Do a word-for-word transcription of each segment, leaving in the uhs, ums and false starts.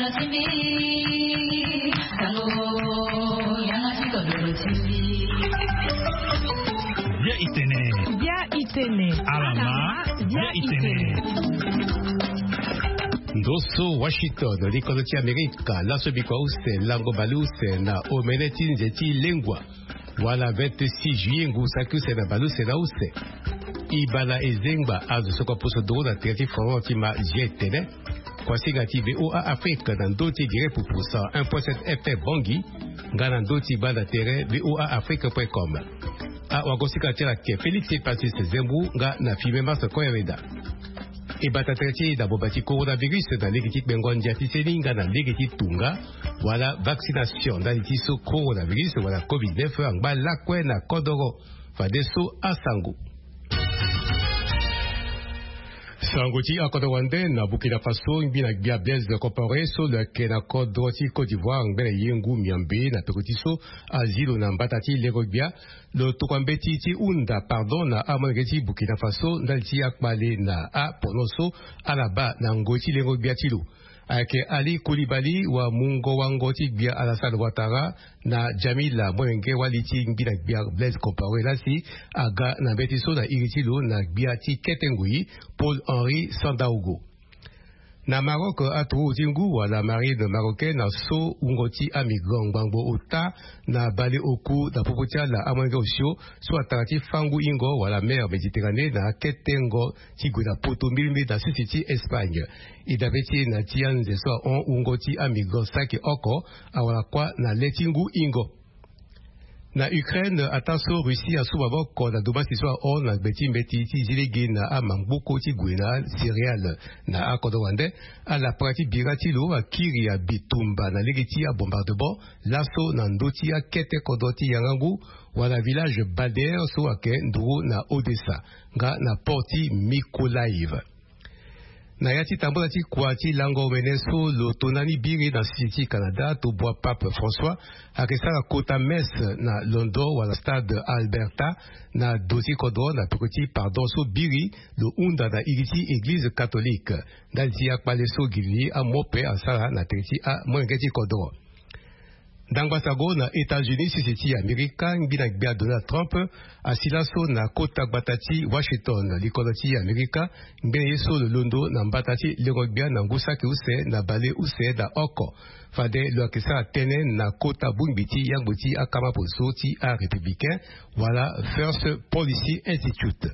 Bia itene. Bia itene. Alama. Bia itene. Ndo so Washington, likolo ti Amerika, laso bikua use lango baleuse na omene ti nze ti lengua. Wala vingt-six juillet ngu saki use na baleuse na use. Ibala ezengba azo so kua poso doro na tere ti Florent ti ma G T N. Kuasinga ti V O A Afrique na ndö ti direct pupu cent un point sept F M Bangui, nga na ndö ti banda tere V O A Afrique point com. Awakosika ti ala ke Félix Passis Zembu nga na filme Marc Koyaveda. E bata tere ti e na boba ti coronavirus na lege ti kpengo ndia ti seni nga na lege ti tunga wala vaccination ndali ti so coronavirus wala covid neuf angba lakue na kodoro. Fadeso asango. Sango ti akodoro wande na Burkina Faso, ngbi na gbia Blaise Compaoré so lo yeke na kodro ti Côte d'Ivoire ngbene ye ngu miombe na peko ti so azi lo na mbata ti lengo gbia. Lo tokua mbeti ti hunda pardon na amolenge ti Burkina Faso ndali ti akpale na apono so ala baa na ngoi ti lengo gbia ti lo. Ayeke Ali Koulibaly wa mungo wango ti gbia Alassane Ouattara na Jamila molenge wali ti ngbi na gbia Blaise Compaoré lasi aga na mbeti so na iri ti lo na gbia ti kete ngoi Paul Henri Sandaogo. Na Maroc, aturugu ti ngu wala marine marocaine aso wungo ti amigrant ngbangbo ota na baleoku na popo ti ala amolenge osio so atara ti fangu ingo wala mer Méditerranée na aketengo ti gue na poto mbilimbili na sisi ti Espagne. E dabe ti e na ti anze so ahon wungo ti amigrant saki oko awara kuâ na le ti ngu ingo. Na Ukraine, ataa so Russie asu maboko na domasi so ahon na gbe ti mbeti ti zi lege na amangboko ti gue na céréale na akodro wande, alapara ti bira ti lo akiri abitumba na lege ti abombardement laso na ndö ti akete kodro ti yangangu wala village Bader so ayeke nduru na Odessa nga na port ti Mykolaiv. Na ya ti tambula ti kua ti lango omene so lo tona ni biri na sisi ti Canada, tobua Pape François ayeke sara kota messe na londo wala stade Alberta na do ti kodro na peko ti pardon so biri lo hunda na iri ti église catholique ndali ti akpale so gilili amope asara na tere ti amolenge ti kodro. Ndangba sago na États-Unis, sisi ti Amerika ngbi na gbia Donald Trump asi laso na kota gbata ti Washington, likolo ti Amerika, ngbene ye so lo londo na mbata ti lengo gbia na ngu saki use na baleuse na oko. Fade lo yeke sara tënë na kota bongbi ti yangbo ti akama poso ti arépublicain wala First Policy Institute.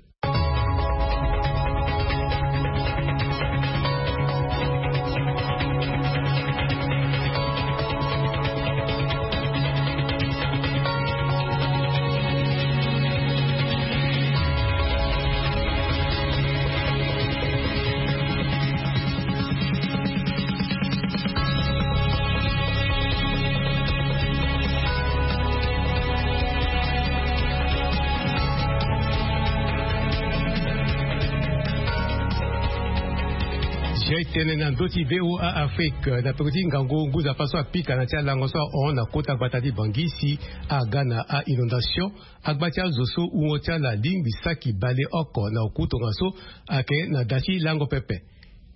Jai tene na ndö ti V O A Afrique na peko ti ngangu ngu nzapa so apika na ti alango so ahon na kota gbata ti Bangui si aga na a-inondation. Agba ti azo so wungo ti ala lingbi saki baleoko na oku tongaso ayeke na da ti lango pepe.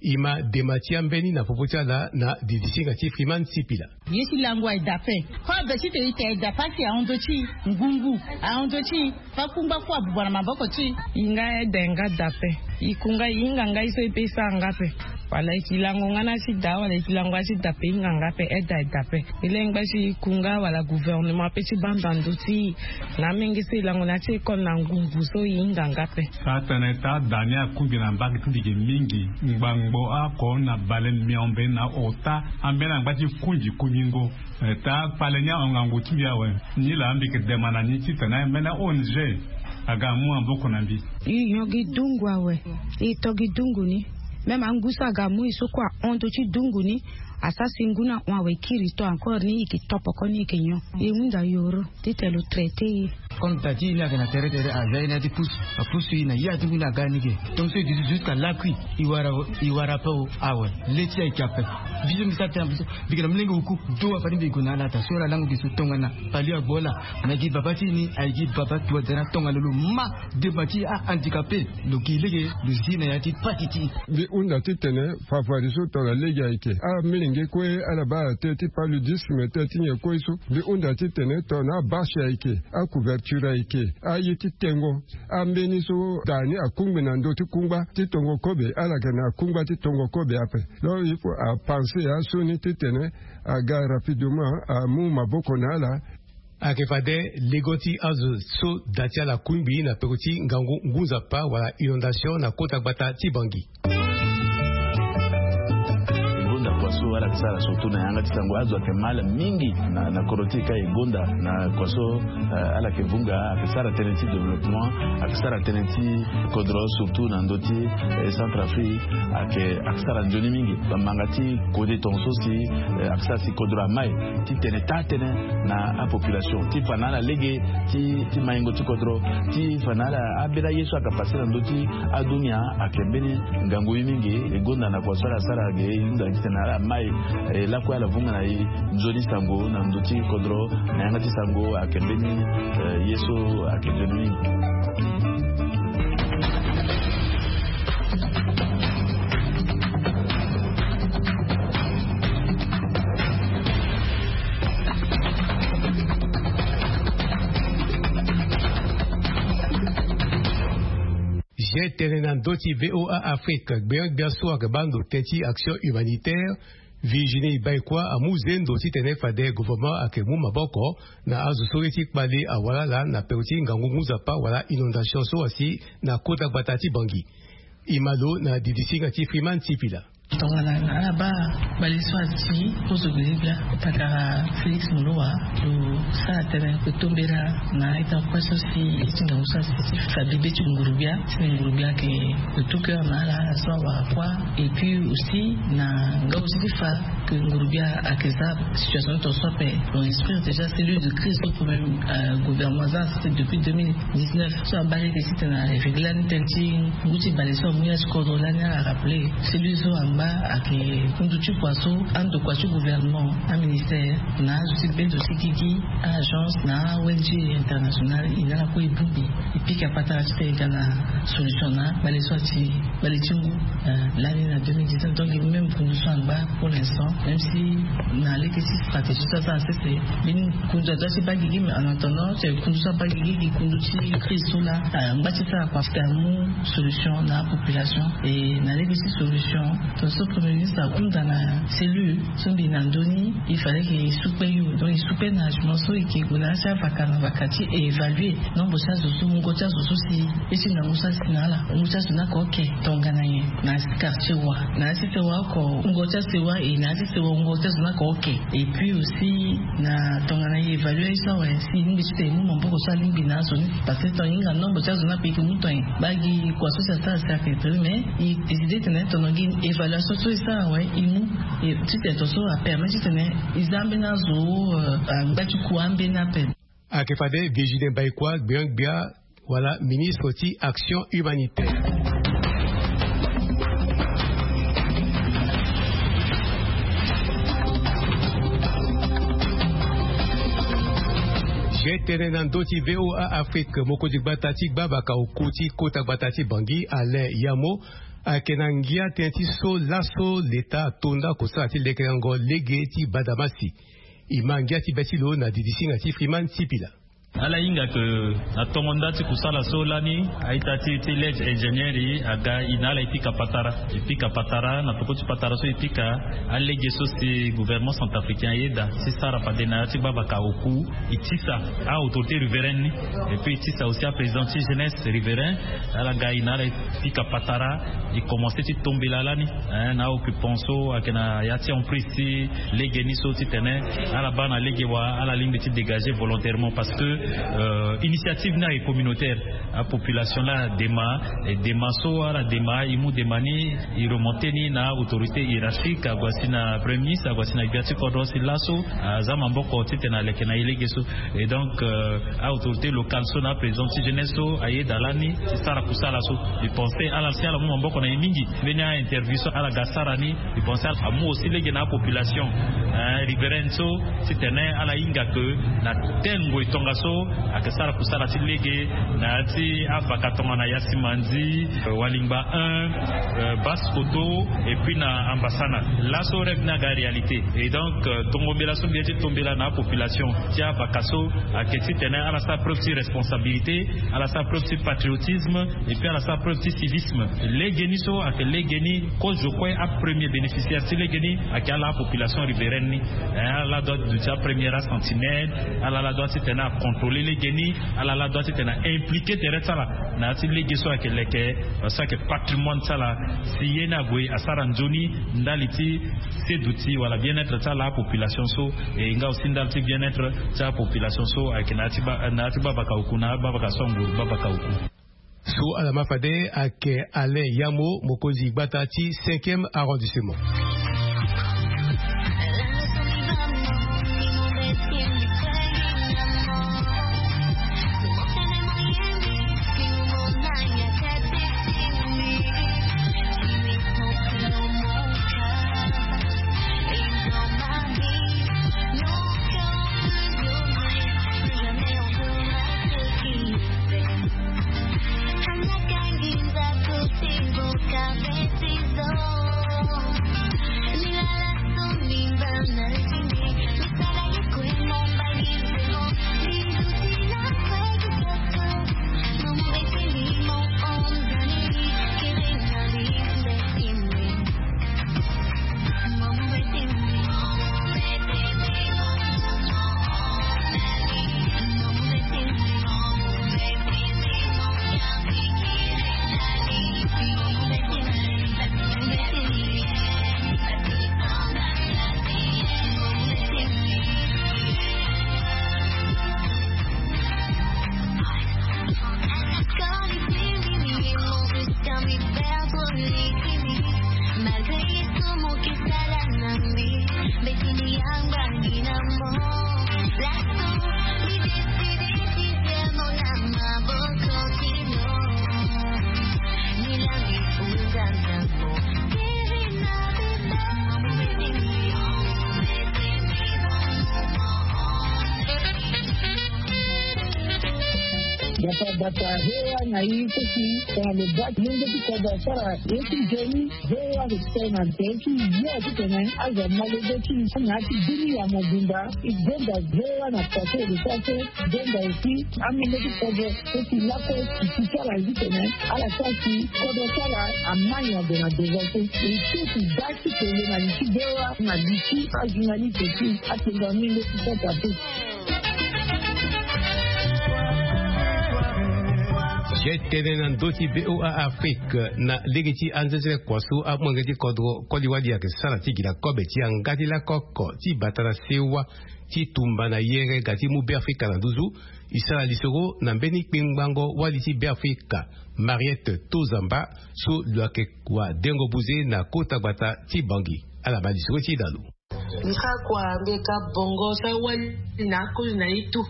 E ma dema ti ambeni na popo ti ala na didisinga ti Freeman Sipila. Ye ti lango aye daa ape. Kue be ti te e te aye daa ape asi ahon ndö ti e ngungu, ahon ndö ti e. Fa kungba kue abuba na maboko ti e. E hinga aye daa nga daa ape. E ku nga e hinga nga ye so e pe e sara nga ape. Wala e yeke lango nga na ya ti daa wala e yeke lango ya ti daa ape e hinga nga ape, aye daa aye daa ape. E lengba ti e ku nga wala gouvernement ape ti baa ndo na ndö ti e. Na amenge so e lango na ya ti école na ngungu so e hinga nga ape. Ka tene taa daa ni akungbi na mbage ti mbi ge mingi. Ngbangbo oko na bale miombe na ota ambeni angba ti kungi kungingo. Eh, taa kpale ni ahon ngangu ti mbi awe. Nilaa mbi yeke dema na ni titene mbeni O N G aga amu maboko na mbi. E nyon gi dungu awe. E to gi dungu ni. Même angu so aga amu e so kue ahon ndö ti dungu ni. Asara si ngu ni ahon awe e kiri to encore ni e yeke to poko ni e yeke nyon. E hunda yoro titene lo traité e. Comme da ti e ni ayeke na tere tere, aza e ni ya ti pusu, apusu e na ya ti ngu ni aga ni ge. Donc so e duti jusqu'à lakui, e wara, e wara ape. Awe, le ti e ayeke ape. Biso mbi sara tënë na biso, mbi yeke na molenge oku. Do afani mbi gue na ala ata so ala lango gi so tongana pali agbo ala. Na gi baba ti e ni ayeke gi baba tuadana tongana lo ma dema ti ahandicapé, lo gi lege lo zi na ya ti pati ti e. Mbi hunda titene fafadeso tongana lege ayeke amilenge kue ala baa tënë ti paludisme, tënë ti nyen kue so. Mbi hunda titene tongana abâche ayeke, acouverture ayeke, aye ti tengo, ambeni so da ni akungbi na ndö ti kungba ti tongo kobe, ala yeke na kungba ti tongo kobe ape. Donc il faut apenser asioni titene aga rapidement amu maboko na ala. Ayeke fade lego ti azo so da ti ala akungbi na peko ti ngangu ngu nzapa wala inondation na kota gbata ti Bangui. E gonda kua so ala yeke sara surtout na yanga ti sango, azo ayeke mal mingi na, na kodro ti e ka. E gonda na kua so, eh, ala yeke vunga, ayeke sara tënë ti développement, ayeke sara tënë ti kodro surtout na ndö ti, eh, Centrafrique, ayeke, ayeke sara nzoni mingi. Bamanga ti kode tongaso si, eh, ayeke sara si kodro amai titene taa tënë na apopulation ti fa na ala lege ti, ti maingo ti kodro, ti fa na ala ambeni aye so ayeke pase na ndö ti adunia ayeke mbeni ngangu ye mingi. E gonda na kua so ala sara ge, e hunda titene ala mai, eh, lakue ala vunga na e nzoni sango na ndö ti kodro na yanga ti sango ayeke mbeni, eh, ye so ayeke nzoni mingi. Ge tene na ndö ti V O A Afrique, gbia gbia so ayeke baa ndo tënë ti action humanitaire, Virginie Baïkoi amu zendo titene fade gouvernement ayeke mu maboko na azo so ye ti kpale awara ala na peko ti ngangu ngu nzapa wala inondation so asi na kota gbata ti Bangui. E ma lo na didisinga ti Freeman Sipila. Tongana ala baa kpale so asi kozo gbele gbia, pakara Félix Moloua lo sara tënë, lo tombela na ita kue so si e ti ngangu so asi ti fa bibe ti nguru-gbia, si nguru-gbia ayeke de tout cœur na ala, ala so awara kua. Et puis aussi na nga aussi ti fa que nguru-gbia ayeke za situation ti tongaso ape, lo instruire déjà cellule de crise so premier, euh, gouvernement aza, c'était depuis deux mille dix-neuf. So abaa lege titene a régler lani tënë ti ngu ti bale so amu ya ti kodro lani, ala rappeler. Cellule so angba ayeke kundu ti kua so andokua ti gouvernement, aministère, na azo ti bendo ti gigi, a-agence na a-O N G internationale, e na ala kue e bongbi, e pika patara titene e ga na solution na bale so ati bale ti ngu, euh, lani na deux mille dix-neuf. Donc e même kundu so angba pour l'instant, même si na lege ti stratégie so aza na sese, mbeni kundu adoit ti baa gigi, mais en attendant ti kundu so abaa gigi, gi kundu ti crise so laa, euh, angba ti sara kua ti amu solution na apopulation. Et na lege ti solution, tongaso premier ministre ahunda na cellule so mbi na ndö ni, il fallait que e sukpe yo. Donc e sukpe na agement so e ke gue na ya ti avaka na vaka ti évaluer nombre ti azo so, wungo ti azo so si e ti ngangu so asi na ala, wungo ti azo ni ayeke oke tongana nyen na ya ti quartier wa, na ya ti sewa oko wungo ti asewa, e na ya ti sewa wungo ti azo ni ayeke oke. Et puis aussi na tongana e évaluer ye so awe, si e lingbi titene e mu maboko so alingbi na azo ni, parce que tongana e hinga nombre ti azo ni ape e ke mu tongana e baa gi kua so si asara si ayeke dri, mais e décider titene tongana gi évaluation so e sara awe e mu, e titene tongaso apermet titene e za ambeni azo, euh, angba ti kua ambeni ape. Ayeke fade Virginie Baïkoi, gbia gbia wala ministre ti action humanitaire. Ge tene na ndö ti V O A Afrique, mokonzi gbata ti gbavaka oku ti kota gbata ti Bangui, Alain Yamo, ayeke na ngia tënë ti so laso leta ato nda oko sara ti lekerengo lege ti badamasi. E ma ngia ti be ti lo na didisinga ti Freeman Sipila. Ala hinga ke na tongo nda ti kusala so lani, a-ita ti, ti Ledge Ingénierie aga e na ala e pika patara. E pika patara, na peko ti patara so e pika, alege so si gouvernement centrafricain ayeda ti sara fade na ya ti gbavaka oku, e tisa a-autorité riveraine ni, et puis e tisa aussi aprésident ti jeunesse riverain. Ala ga e na ala e pika patara, e commencé ti tombela lani, hein, na a-occupant so ayeke na ya ti emprise ti lege ni so titene ala baa na lege wa, ala lingbi ti dégager volontairement, parce que Initiative ni aye communautaire. Apopulation la adema, e dema so ala dema, e mu dema ni, e remonter ni na autorité hiérarchique, ague asi na premier ministre, ague asi na gbia ti kodro si laso aza maboko titene aleke na e lege so. Et donc, aautorité locale so na aprésident ti jeunesse so ayeda lani ti sara kusala so. E pense ala si ala mu maboko na e mingi. Mbeni ainterview so ala ga sara ni, e pense ala amu aussi lege na apopulation riveraine so, titene ala hinga ke na tel ngoi tongaso ayeke sara kusala ti lege na ya ti avaka tongana Yasimandi, Walingba un, Basse Koto, et puis na Ambasana. Laso rêve ni aga réalité. Et donc, tongombela so mbi ye ti tombela na apopulation ti avaka so ayeke titene ala sara preuve ti responsabilité, ala sara preuve ti patriotisme, et puis ala sara preuve ti civisme. Lege ni so ayeke lege ni, kozo kue apremier bénéficiaire ti lege ni ayeke ala apopulation riveraine ni. Ala la doit duti apremier asentinelle, ala la doit titene acontrôler lege ni, ala la doit titene aimpliquer tere ti ala na ya ti lege so ayeke leke, so ayeke patrimoine ti ala. Si ye ni ague asara nzoni ndali ti seduti wala bien-être ti ala apopulation so, e nga aussi ndali ti bien-être ti apopulation so ayeke na ya ti ba, na ya ti babaka oku, na babaka so anguru babaka oku. So ala ma fade ayeke Alain Yamo, mokonzi gbata ti cinquième arrondissement. Bata bata hewa na ye so si tongana lo baa ti lenge ti kodro asara ye ti nzoni. Hewa ayeke tene na tere ti ye titene azo ama lege ti na ya ti bini ya mobimba. E gonda hewa na poto ede so aso gonda aussi amenge ti kodro so si lakue si ti ti ala titene ala sara si kodro ti ala ama nyon ade na devant so. E so si baa ti kele na li ti hewa na li ti ajournaliste ti atenga menge ti santa pe. Ye tene na ndö ti V O A Afrique na lege ti anzezele kua so amolenge ti kodro koli-wali ayeke sara ti gi na kobe ti yanga ti lako oko ti bata na sewa ti tumba na yere ga ti mu Beafrika na nduzu. E sara lisoro na mbeni kpengbango wali ti Beafrika, Mariette Tozamba, so lo yeke wadengo buze na kota gbata ti Bangui. Ala baa lisoro ti e na lo. Mbi sara kua mbi yeke bongo so awali na akoli na ye tu.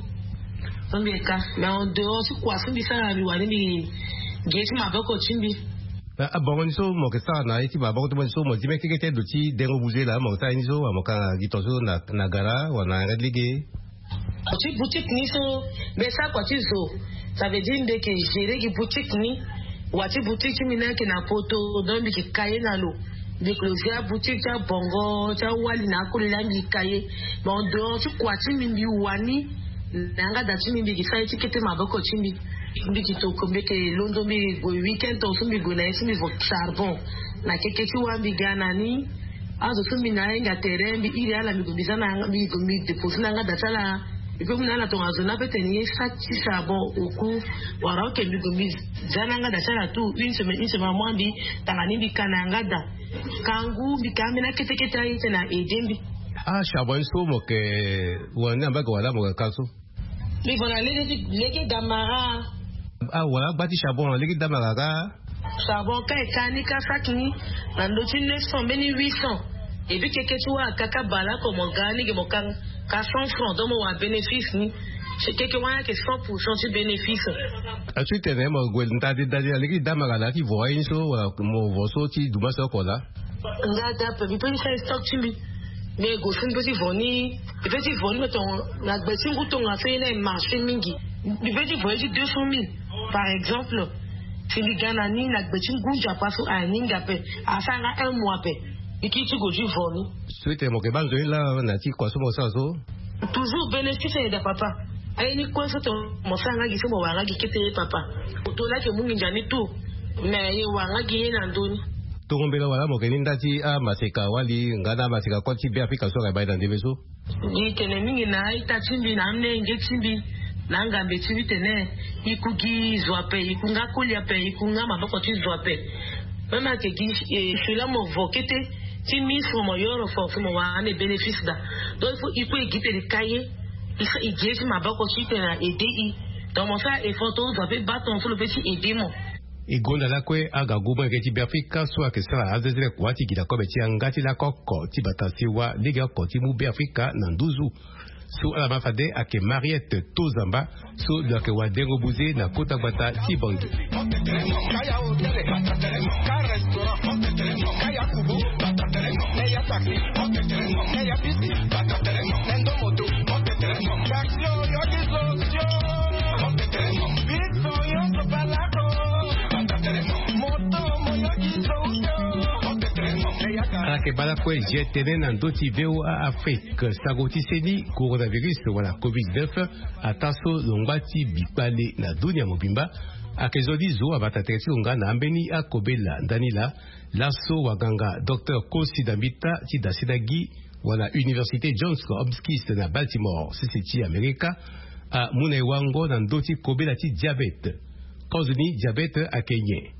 So mbi yeke, mais en dehors ti kua so mbi sara mbi wani mbi gi ye ti maboko ti mbi. Abongo ni so mo yeke sara na ye ti maboko ti mo ni so mo zi mbeni keke ti ndo ti dengo buze laa mo yeke sara ye ni so wala mo ka na gi tongaso na gara wala na yanga ti lege? Ti boutique ni so mbi sara kua ti zo. Ça veut dire mbi yeke gérer gi boutique ni. Wa ti boutique ti mbi ni ayeke na poto, donc mbi yeke ka ye na lo. Mbi yeke lo zi aboutique ti abongo ti awali na akoli laa mbi yeke ka ye. Mais en dehors ti kua ti mbi mbi wani na yanga da ti mbi mbi yeke sara ye ti kete maboko ti mbi. Mbi yeke toko mbi yeke londo mbi gue week-end tongaso mbi gue na ye so mbi vo charbon. Na keke ti wa mbi ga na ni. Azo so mbi na ahinga tere mbi iri ala mbi gue mbi za na yanga mbi gue mbi dépose na yanga da ti ala. Mbi pe mu na ala tongaso na pe tene ye sa ti charbon oku. Wala oke mbi gue mbi za na yanga da ti ala tout une semaine une semaine amois mbi tanga ni mbi ka na yanga da. Kangu mbi ka ambeni akete kete aye tene a aider mbi. Ah charbon ni so mo yeke wani ambage wala mo yeke ka so? Mbi vo na lege ti lege damara. Ah, wala agba ti charbon na lege damara ka. Charbon ka e ka ni ka saki ni na ndo ti neuf cents mbeni huit cents. Et puis keke ti wâ akaka bale oko mo ga ni ge mo ka ka cent francs, donc mo wara bénéfice ni. Si keke wâ ayeke cent pour cent ti bénéfice. Asu ti tene mo gue ndadi ndadi na lege ti damara na ti vo aye ni so wala mo vo so ti duma so oko laa. Nga dape mbi pe ti sara stock ti mbi. Mais go so mbi pe ti vo ni. Mbi pe ti vo ni me tongo na gbe ti ngu tonga so ye na e marché mingi. Mbi pe ti vo ye ti deux cent mille par exemple. Si mbi ga na ni na gbe ti ngu nzapa so aye ni nda ape. Asara nga un mois ape. Mbi kiri ti go ti vo ni. So ete mo yeke baa nzoni laa na ti kua so mo sara so. Toujours bénéfice ayeda papa. Aye ni kue so tonga mo sara nga gi so mo wara nga gi kete ye papa. Oto laa ayeke mu nginza ni tout. Mais ye wara nga gi ye na ndö ni. Tongo mbela wala mo yeke ni nda ti amaseka wali nga na amaseka koli ti be afrika so ayeke baa ye na ndembe so. Mbi tene mingi na a-ita ti mbi na amenge ti mbi na angambe ti mbi tene, e ku gi zo ape, e ku nga koli ape, e ku nga maboko ti zo ape. Même ayeke gi fila mo vo kete ti ministre mo yoro fort si mo wara ande bénéfice daa. Donc il faut e ku e gi tene ka ye. E gi ye ti maboko ti tene na aide e. Donc mo sara effort to zo ape baa tongaso lo pe ti aide mo. E gonda lakue aga gouvernement yeke ti be afrika so ayeke sara azezele kua ti gi na kobe ti yanga ti lako oko ti bata sewa lege oko ti mu be afrika na nduzu. So ala ma fade ayeke Mariette Tozamba so lo yeke wadengo buze na kota gbata ti Bangui. Ala yeke baa lakue je tene na ndö ti V O A Afrique, sango ti seni coronavirus wala covid dix-neuf ataa so lo ngba ti bi kpale na dunia mobimba. Ayeke zo ni zo abata tere ti lo nga na ambeni akobela ndani laa. Laso waganga docteur Kosi Dambita ti dasina gi wala Université Johns Hopkins na Baltimore sese ti Amerika amu na e wango na ndö ti kobela ti diabete. Kozo ni diabete ayeke nyen?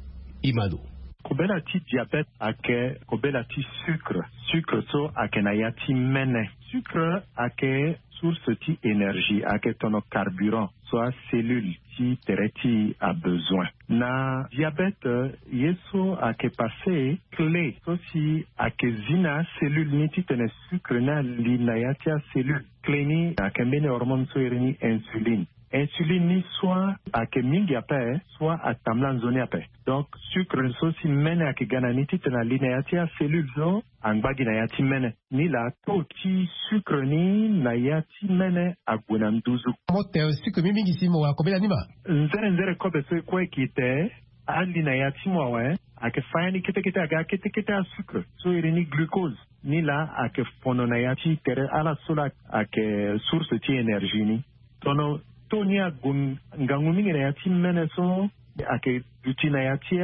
E ma lo. Kobela ti diabete ayeke kobela ti sucre. Sucre so ayeke na ya ti mene. Sucre ayeke source ti énergie, ayeke tono carburant so acellule ti tere ti abesoin. Na diabete ye so ayeke pase clé so si ayeke zi na acellule ni titene sucre ni ali na ya ti acellule. Clé ni ayeke mbeni hormone so iri ni insuline. Insuline ni soit ayeke mingi ape, soit atambula nzoni ape. Donc sucre so si mene ayeke ga na ni titene ali na ya ti acellule so angba gi na ya ti mene. Ni laa taux ti sucre ni na ya ti mene ague na nduzu. Mo te sucre mingi mingi si mo wara kobela ni ma. Nzere nzere kobe so e kue e gi te ali na ya ti mo awe. Ayeke fa ya ni kete kete aga kete kete asucre so iri ni glucose. Ni laa ayeke fono na ya ti tere ala so laa ayeke source ti énergie ni. Tono taux ni ague ngangu mingi na ya ti mene so ayeke duti na ya ti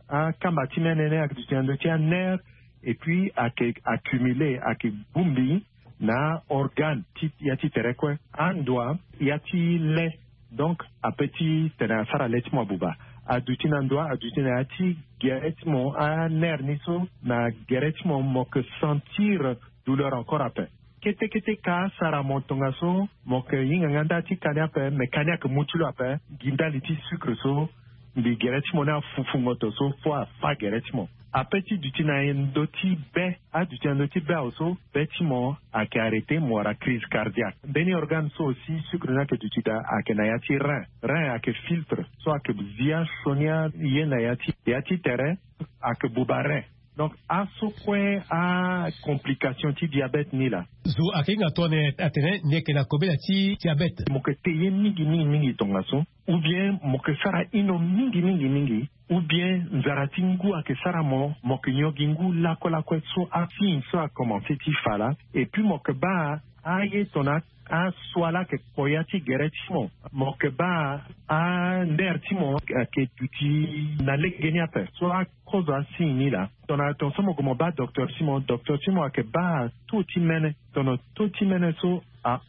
akamba ti mene ni ayeke duti na ndö ti anerf. Et puis ayeke accumule ayeke bongbi na organe ti ya ti tere kue. Andoa ya ti le. Donc ape ti tene asara le ti mo abuba. Aduti na ndoa aduti na ya ti gere ti mo anerf ni so na gere ti mo mo yeke sentir douleur encore ape. Kete kete ka asara mo tongaso mo yeke hinga nga nda ti ka ni ape me ka ni ayeke mu ti lo ape. Gi ndali ti sucre so mbi gere ti mo ni afufu ngoto so fo afa gere ti mo. Ape ti duti na ndö ti be aduti na ndö ti be awe so be ti mo ayeke arrêter mo wara crise cardiaque. Mbeni organe so aussi sucre ni ayeke duti daa ayeke na ya ti rein. Rein ayeke filtre so ayeke zi asioni aye na ya ti ya ti tere. Ayeke buba rein. Donc aso kue acomplication ti diabete ni laa. Zo ayeke hinga tongana atene ni yeke na kobela ti diabete. Mo yeke te ye mingi mingi mingi tongaso. Ou bien mo yeke sara ino mingi mingi mingi. Ou bien nzara ti ngu ayeke sara mo mo yeke nyon gi ngu lakue lakue so asigne so akomanse ti fa laa. Et puis mo yeke baa aye tongana asua laa ayeke kpo ya ti gere ti mo. Mo yeke baa anerf ti mo ayeke duti na legeni ape so akozo asigne ni laa. Tongana tongaso mo gue mo baa docteur ti mo docteur ti mo ayeke baa taux ti mene. Tongana taux ti mene so a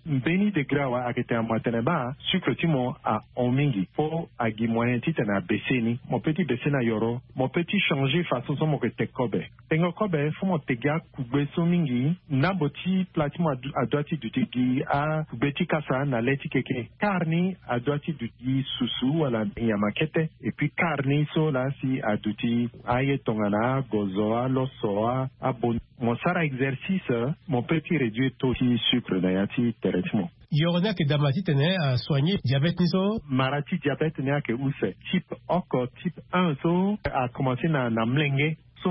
Mbeni degré awe ayeke tene mo atene baa sucre ti mo ahon mingi fo agi moyen titene abese ni mo pe ti bese na yoro. Mo pe ti changer façon so mo yeke teke kobe. Tengo kobe fo mo teke akugbe so mingi. Nambo ti pla ti mo adua ti duti gi akugbe ti kasa na le ti keke kar ni adua ti duti gi susu wala nyama kete. Epui kar ni so laa si aduti aye tongana agozo aloso abon. Mo sara exercice mo pe ti réduire taux ti sucre na ya ti tere ti mo. Yoro ni ayeke dama titene asoigne diabète ni so. Mara ti diabète ni ayeke use type oko type un so akomanse na na mlenge so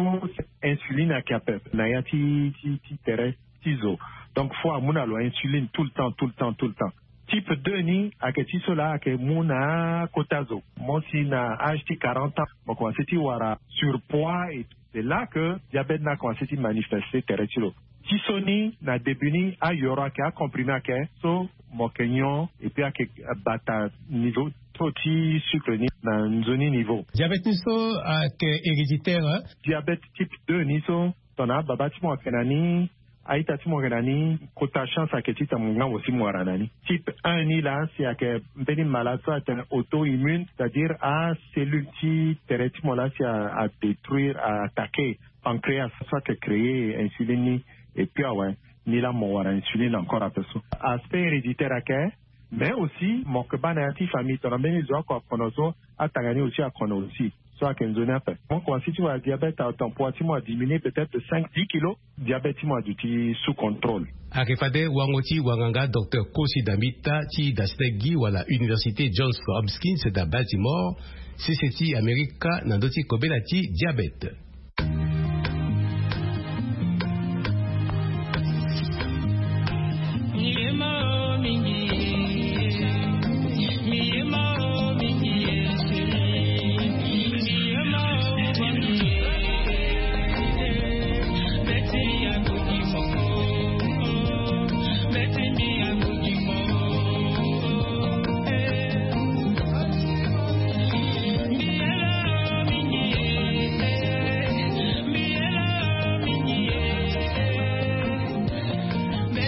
insuline ayeke ape na ya ti ti ti tere ti zo. Donc fo amu na lo insuline tout le temps tout le temps tout le temps. Type deux ni ayeke ti so laa ayeke mu na kota zo mo si na age ti quarante ans mo komanse ti wara surpoids et c'est là que diabète ni akomanse ti manifeste tere ti lo. Ti so ni na début ni ayoro ayeke acomprimé ayeke so mo yeke nyon epui ayeke bata niveau taux ti sucre ni na nzoni niveau. Diabète ni so ayeke héréditaire. Diabète type deux ni so tongana ababa ti mo ayeke na ni a-ita ti mo yeke na ni kota chance ayeke ti tene mo nga mo si mo wara na ni. Type un ni laa si ayeke mbeni malade so atene auto-immune c'est-à-dire acellule ti tere ti mo laa si adétruire a-attaquer pancréas so ayeke créer insuline ni. Epui awe ni laa mo wara insuline encore ape so. Aspect héréditaire ayeke mais aussi mo yeke baa na ya ti famille tongana mbeni zo oko akono so atanga ni aussi akono aussi. So ayeke nzoni ape mo komanse ti wara diabète atempoids ti mo adiminuer peut-être de cinq dix kilos. Diabète ti mo aduti sous contrôle. Ayeke fade wango ti wanganga docteur Kosi Dambita ti dasite gi wala université Johns Hopkins da Baltimore, sese ti Amerika na ndö ti kobela ti diabète.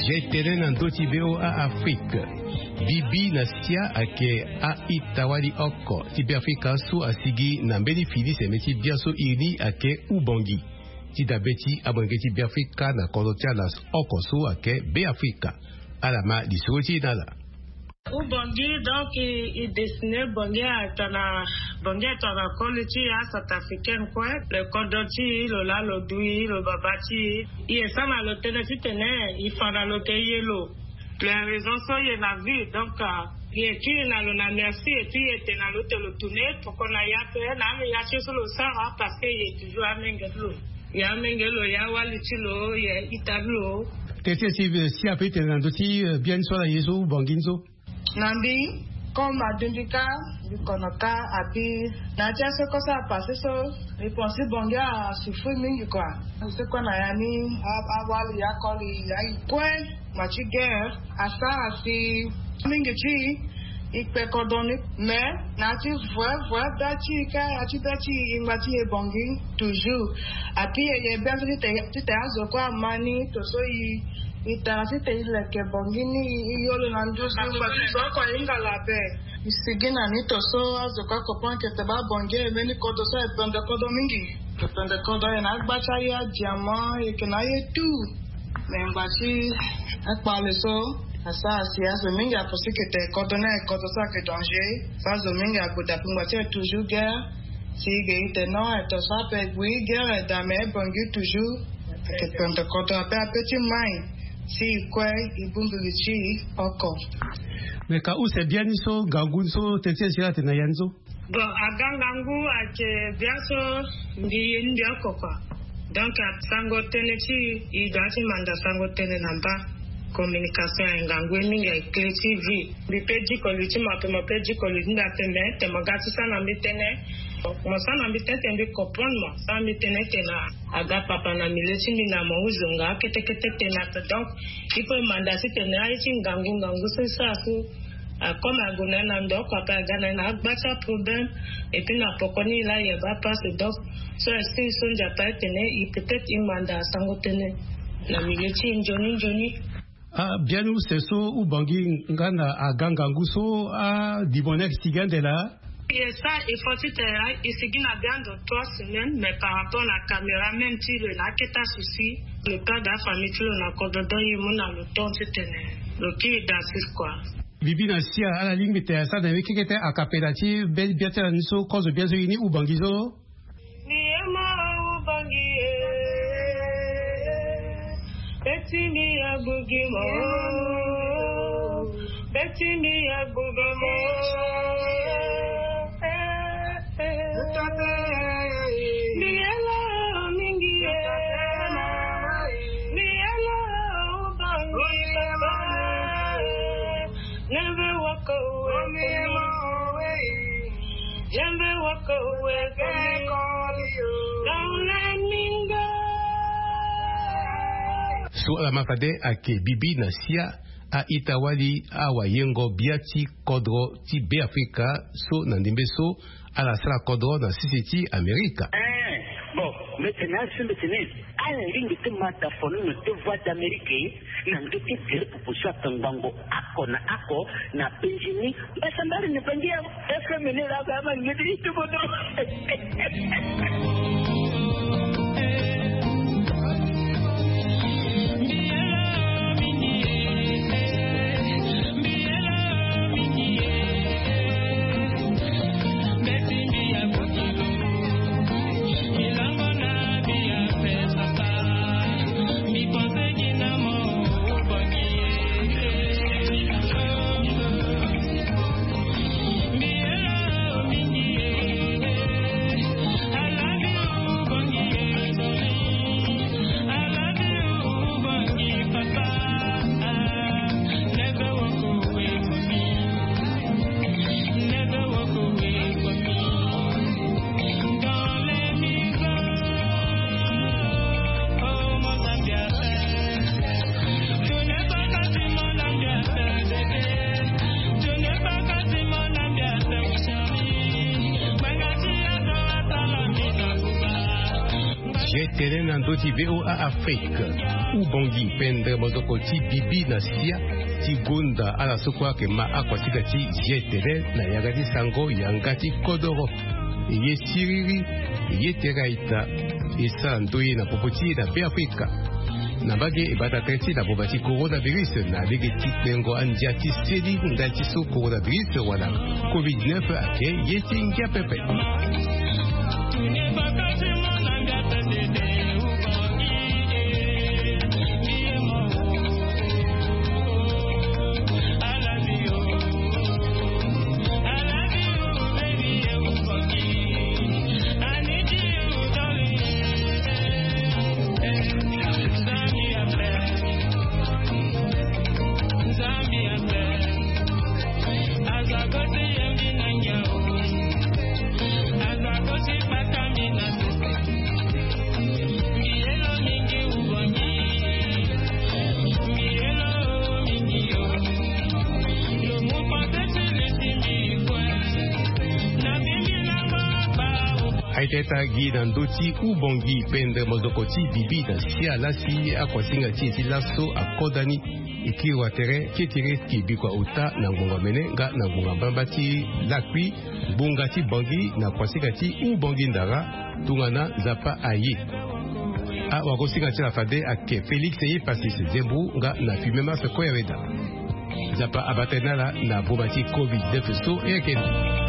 Ye tënë na ndö ti V O A Afrique. Bibi na sia ayeke a-ita-wali oko ti Beafrika so asigi na mbeni fini sembe ti biaso iri ni ayeke Ubongi. Ti dabe ti amolenge ti Beafrika na kodro ti ala oko so ayeke Beafrika. Ala ma lisoro ti e na ala. Ubongi donc e dessiner bongi atana bongi atana koli ti e a centrafricaine kue. Lo kodro ti e lo laa lo dui lo baba ti e. E sara na lo tënë titene e fa na lo ke ye lo. Lo ya raison so e ye na vie donc e kiri na lo na merci epui e te na lo te lo tourner poko na ya pe na ame ya ti so lo sara parce que e ye toujours amenge ti lo. E amenge lo e awali ti lo e ita ti lo. Teti esi si ape ti tene na ndö ti bien so ala ye so ubongi ni so. Na mbi comme adundi kâ mbi kono kâ. Api na ya ti aseko so apasse so mbi pense ti bongi asouffrir mingi kua. Seko na ya ni awali akoli ayi kue. Ngba ti guerre asara si mingi ti e kpe kodro ni. Mais na ya ti vrai vrai da ti e kâ ya ti da ti e ngba ti e bongi toujours. Api e ye bien so titene azo kue ama ni to so e e tara titene e leke bongi ni e yo lo na nduzu ngba ti zo oko ahinga labe. E sigi na ni to so azo kue akopon ayeke te baa bongi e mbeni kodro so ayeke pende kodro mingi. Ayeke pende kodro ayeke na agba ti aye adiamant ayeke na aye tout. Me ngba ti akpale so asara si azo mingi aposi ke te kodro ni ayeke kodro so ayeke danger. So azo mingi ague dape ngba ti ayeke toujours guerre. Si e ge e te non ayeke to so ape e gue guerre e da me e bongi toujours. Ayeke pende kodro ape ape ti mai si e kue e bongbi li ti e oko. Me ka use biani so ngangu ni so teti e siri atene na ya ni so. Bon aga ngangu ayeke biaso mbi ye ni mbi oko kua. Donc asango tënë ti e e doit ti manda sango tënë na mba. Communication aye ngangu ye mingi aye clé ti vie. Mbi pe diko li ti mo ape mo pe diko li ti mbi ape me te mo ga ti sara na mbi tënë. Mo sara na mbi tënë te mbi comprendre mo sara mbi tënë te na aga papa na milieu ti mbi na mo huzonga kete kete te na ape donc il faut manda ti tene aye ti ngangu ngangu so e sara so. Comme ague na ye na ndo oko ape aga na ye na agba ti aproblème. Epui na poko ni la yeba passe donc so esprit so nzapa etene e peut-être e manda asango tënë na milieu ti e nzoni nzoni. Ah, biani use so ubangi nga na aga ngangu so adimo ni ayeke sigi ande laa. Ye sa, il faut ti tene e sigi na biando trois semaines, mais par rapport na caméra même ti lo na aketa souci. Le père de la famille ti lo na kodro donc ye mu na lo temps ti tene lo kiri dasis kua. Bibi na sia, ala lingbi tene asara na ye keke te akapela ti be bia ti ala ni so kozo bia so ye ni ubangi so. Mbi ye mo ubangi e. Beti mbi agbugi mo. Beti mbi agbugi mo. Mbi ye lo mingi e. Mbi ye lo ubangi papa. Never walk away from me. Never walk away from me. Don't let me go. So ala ma fade ayeke bibi na sia a-ita-wali awayengo bia ti kodro ti Beafrika so na ndembe so ala sara kodro na sese ti Amerika. Eh, bon, mbi tene asi mbi tene ala lingbi ti ma da fono na deux voix d'Amérique na ndö ti gere pupu so ayeke ngbongo oko na oko na penzi ni. Mbasambari na bangi ya F M ni la ba ma ngedi itubodo. Ye tene na ndö ti V O A Afrique. Ubongi pendre mozoko ti bibi na sia ti gonda ala so kue ayeke ma akuasinga ti ye tene na yanga ti sango yanga ti kodoro. E ye siriri, e ye tere a-ita, e sara ndoye na popo ti e na Beafrika. Na mbage e bata tere ti na boma ti coronavirus na lege ti kpengo andia ti seli ndali ti so coronavirus wala covid neuf ayeke ye ti ngia pepe. Aye tene tara gi na ndö ti ubongi pendre mozoko ti bibi na sia lasi akuasinga ti e ti laso akodani. E kiri watere kekere ti e bikua ota na ngbonga mene nga na ngbonga mbamba ti lakui. Ngbonga ti bangi na kuasinga ti ubongi ndara tongana Nzapa aye. Awagosinga ti ala fade ayeke Félix Eyepasis Zembo nga na Fumé Mars Koyaweda. Nzapa abata ni ala na boma ti covid neuf so e yeke ni.